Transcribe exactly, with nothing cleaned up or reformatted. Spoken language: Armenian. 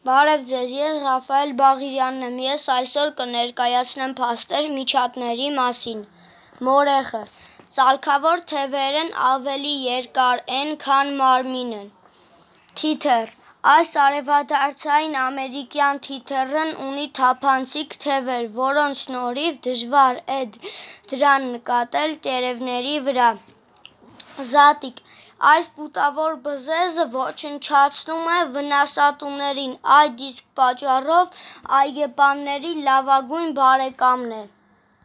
Բարև ձեզ, ես Ռաֆայել Բաղիրյանն եմ, ես այսօր կներկայացնեմ փաստեր միջատների մասին։ Մորեխը, ծալքավոր թևերն ավելի երկար են, քան մարմինը։ Թիթեռ, այս արևադարձային ամերիկյան թիթեռն ունի թափանցիկ թևեր, որոնց շնորհիվ դժվար է դրան նկատել տերևների վրա։ Զատիկ, այս բութավոր բզեզը ոչնչացնում է վնասատուներին, այդ իսկ պատճառով այգեպանների լավագույն բարեկամն է։